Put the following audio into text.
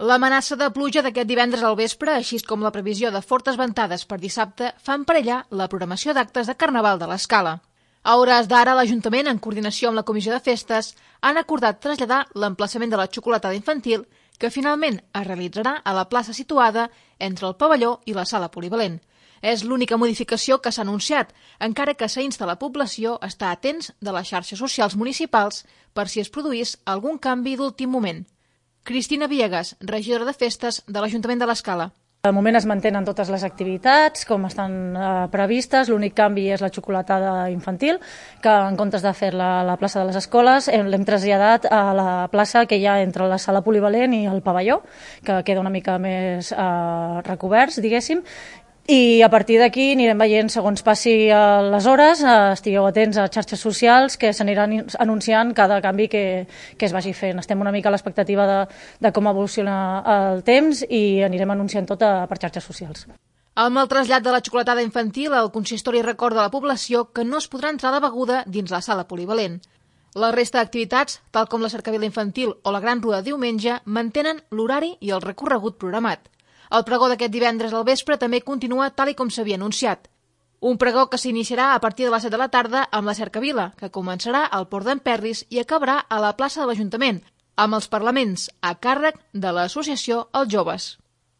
L'amenaça de pluja d'aquest divendres al vespre, així com la previsió de fortes ventades per dissabte, fan perillar la programació d'actes de Carnaval de l'Escala. A hores d'ara, l'Ajuntament, en coordinació amb la Comissió de Festes, han acordat traslladar l'emplaçament de la xocolatada infantil, que finalment es realitzarà a la plaça situada entre el pavelló i la sala polivalent. És l'única modificació que s'ha anunciat, encara que s'insta la població a estar atents de les xarxes socials municipals per si es produís algun canvi d'últim moment. Cristina Villegas, regidora de Festes de l'Ajuntament de l'Escala. De moment es mantenen totes les activitats com estan previstes, l'únic canvi és la xocolatada infantil, que en comptes de fer-la a la plaça de les escoles l'hem traslladat a la plaça que hi ha entre la sala polivalent i el pavelló, que queda una mica més recoberts, diguéssim, i a partir d'aquí anirem veient segons passi les hores, estigueu atents a xarxes socials que s'aniran anunciant cada canvi que es vagi fent. Estem una mica a l'expectativa de com evoluciona el temps i anirem anunciant tot per xarxes socials. Amb el trasllat de la xocolatada infantil, el consistori recorda a la població que no es podrà entrar de beguda dins la sala polivalent. La resta d'activitats, tal com la cercavila infantil o la gran rua de diumenge, mantenen l'horari i el recorregut programat. El pregó d'aquest divendres al vespre també continua tal i com s'havia anunciat. Un pregó que s'iniciarà a partir de les 7 de la tarda amb la cercavila, que començarà al Port d'en Perris i acabarà a la plaça de l'Ajuntament, amb els parlaments a càrrec de l'associació Els Joves.